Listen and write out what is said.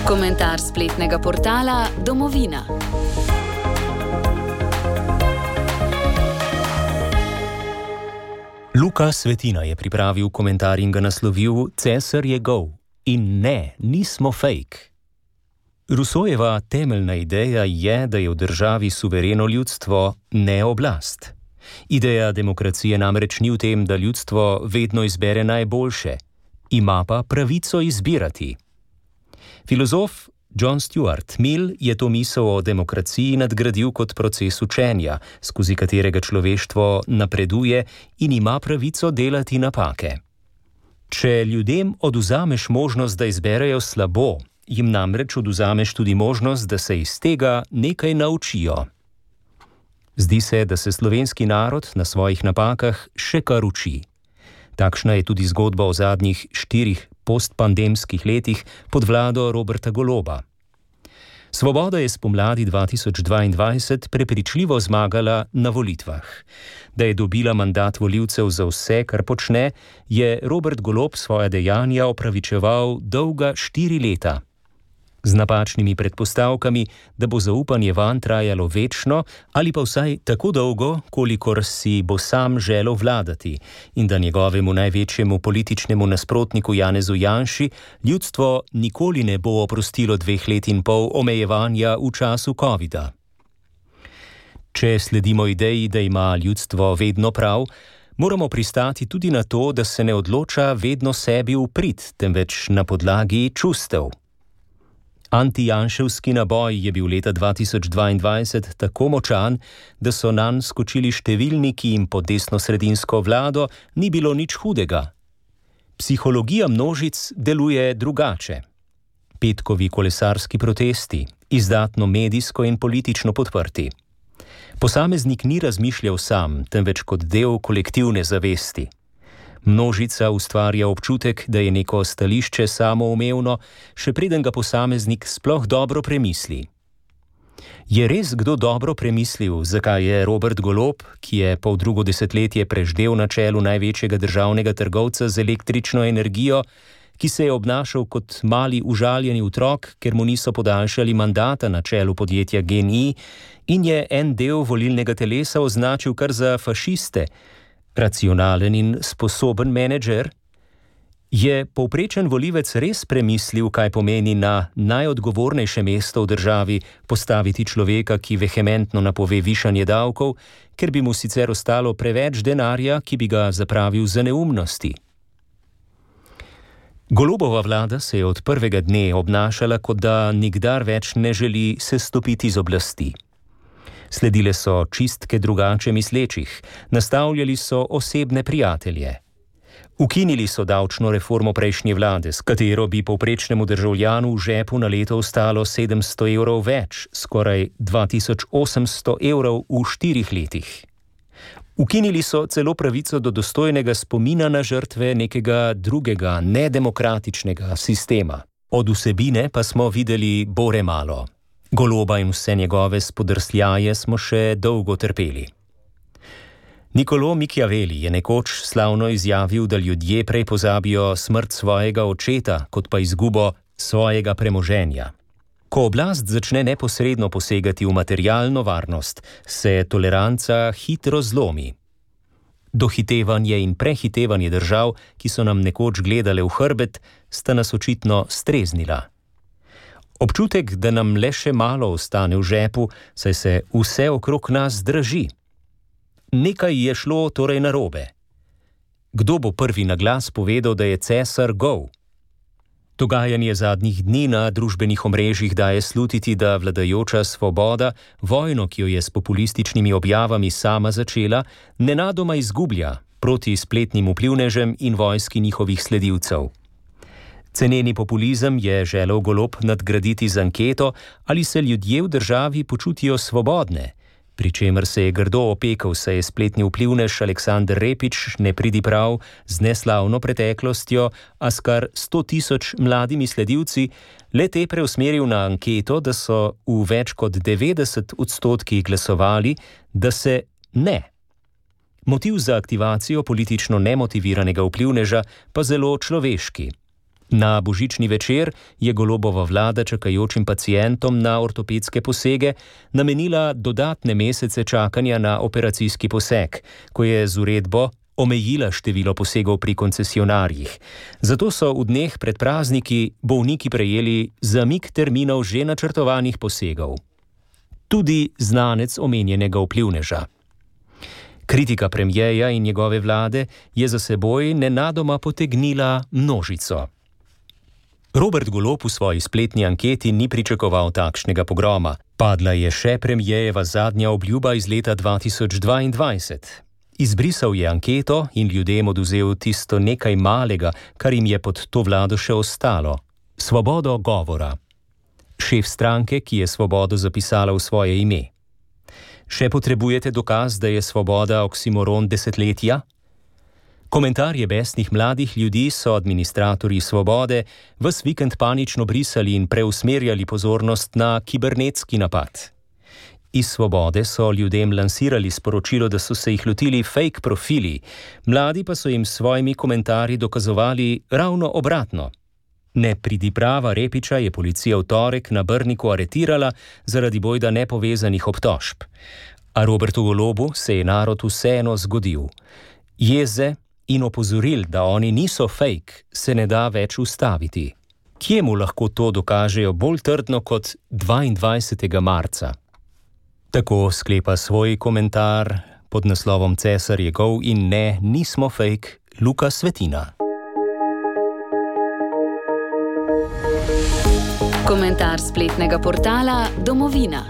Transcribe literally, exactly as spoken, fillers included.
Komentar spletnega portala Domovina. Luka Svetina je pripravil komentar in ga naslovil Cesar je gol. In ne, nismo fake. Rousseaujeva temeljna ideja je, da je v državi suvereno ljudstvo, ne oblast. Ideja demokracije namreč ni v tem, da ljudstvo vedno izbere najboljše, ima pa pravico izbirati. Filozof John Stuart Mill je to misel o demokraciji nadgradil kot proces učenja, skozi katerega človeštvo napreduje in ima pravico delati napake. Če ljudem odvzameš možnost, da izberejo slabo, jim namreč odvzameš tudi možnost, da se iz tega nekaj naučijo. Zdi se, da se slovenski narod na svojih napakah še kar uči. Takšna je tudi zgodba o zadnjih štirih postpandemskih letih pod vlado Roberta Goloba. Svoboda je spomladi dva tisoč dvaindvajset prepričljivo zmagala na volitvah. Da je dobila mandat volivcev za vse, kar počne, je Robert Golob svoja dejanja opravičeval dolga štiri leta. Z napačnimi predpostavkami, da bo zaupanje vanj trajalo večno ali pa vsaj tako dolgo, kolikor si bo sam želel vladati in da njegovemu največjemu političnemu nasprotniku Janezu Janši ljudstvo nikoli ne bo oprostilo dveh let in pol omejevanja v času covida. Če sledimo ideji, da ima ljudstvo vedno prav, moramo pristati tudi na to, da se ne odloča vedno sebi v prid, temveč na podlagi čustev. Antijanševski naboj je bil leta dva tisoč dvaindvajset tako močan, da so nanj skočili številni, ki jim pod desnosredinsko vlado ni bilo nič hudega. Psihologija množic deluje drugače. Petkovi kolesarski protesti, izdatno medijsko in politično podprti. Posameznik ni razmišljal sam, temveč kot del kolektivne zavesti. Množica ustvarja občutek, da je neko stališče samoumevno, še preden ga posameznik sploh dobro premisli. Je res kdo dobro premislil, zakaj je Robert Golob, ki je pol drugo desetletje preždel na čelu največjega državnega trgovca z električno energijo, ki se je obnašal kot mali užaljeni otrok, ker mu niso podaljšali mandata na čelu podjetja G N I in je en del volilnega telesa označil kar za fašiste, racionalen in sposoben menedžer? Je povprečen volivec res premislil, kaj pomeni na najodgovornejše mesto v državi postaviti človeka, ki vehementno napove višanje davkov, ker bi mu sicer ostalo preveč denarja, ki bi ga zapravil za neumnosti? Golobova vlada se je od prvega dne obnašala, kot da nikdar več ne želi sestopiti z oblasti. Sledile so čistke drugače mislečih, nastavljali so osebne prijatelje. Ukinili so davčno reformo prejšnje vlade, s katero bi povprečnemu državljanu v žepu na leto ostalo sedemsto evrov več, skoraj dva tisoč osemsto evrov v štirih letih. Ukinili so celo pravico do dostojnega spomina na žrtve nekega drugega, nedemokratičnega sistema. Od vsebine pa smo videli bore malo. Goloba in vse njegove spodrsljaje smo še dolgo trpeli. Niccolò Machiavelli je nekoč slavno izjavil, da ljudje prej pozabijo smrt svojega očeta, kot pa izgubo svojega premoženja. Ko oblast začne neposredno posegati v materialno varnost, se toleranca hitro zlomi. Dohitevanje in prehitevanje držav, ki so nam nekoč gledale v hrbet, sta nas očitno streznila. Občutek, da nam le še malo ostane v žepu, saj se vse okrog nas draži. Nekaj je šlo torej narobe. Kdo bo prvi na glas povedal, da je cesar gol? Dogajanje zadnjih dni na družbenih omrežjih daje slutiti, da vladajoča Svoboda vojno, ki jo je s populističnimi objavami sama začela, nenadoma izgublja proti spletnim vplivnežem in vojski njihovih sledilcev. Ceneni populizem je želel Golob nadgraditi z anketo, ali se ljudje v državi počutijo svobodne, pri čemer se je grdo opekal, saj je spletni vplivnež Aleksander Repič nepridiprav z neslavno preteklostjo, a s kar sto tisoč mladimi sledilci, le te preusmeril na anketo, da so v več kot devetdeset odstotkih glasovali, da se ne. Motiv za aktivacijo politično nemotiviranega vplivneža pa zelo človeški. Na božični večer je Golobova vlada čakajočim pacientom na ortopedske posege namenila dodatne mesece čakanja na operacijski poseg, ko je z uredbo omejila število posegov pri koncesionarjih. Zato so v dneh pred prazniki bolniki prejeli zamik terminov že načrtovanih posegov. Tudi znanec omenjenega vplivneža. Kritika premierja in njegove vlade je za seboj nenadoma potegnila množico. Robert Golob v svoji spletni anketi ni pričakoval takšnega pogroma. Padla je še premierjeva zadnja obljuba iz leta dva tisoč dvaindvajset. Izbrisal je anketo in ljudem oduzel tisto nekaj malega, kar jim je pod to vlado še ostalo. Svobodo govora. Šef stranke, ki je svobodo zapisala v svoje ime. Še potrebujete dokaz, da je svoboda oksimoron desetletja? Komentarje besnih mladih ljudi so administratorji Svobode ves vikend panično brisali in preusmerjali pozornost na kibernetski napad. Iz Svobode so ljudem lansirali sporočilo, da so se jih lotili fake profili, mladi pa so jim s svojimi komentarji dokazovali ravno obratno. Nepridiprava Repiča je policija v torek na Brniku aretirala zaradi bojda nepovezanih obtožb. A Robertu Golobu se je narod vseeno zgodil. Jeze in opozoril, da oni niso fake, se ne da več ustaviti. Kje mu lahko to dokažejo bolj trdno kot dvaindvajsetega marca? Tako sklepa svoj komentar pod naslovom Cesar je gol in ne, nismo fake, Luka Svetina. Komentar spletnega portala Domovina.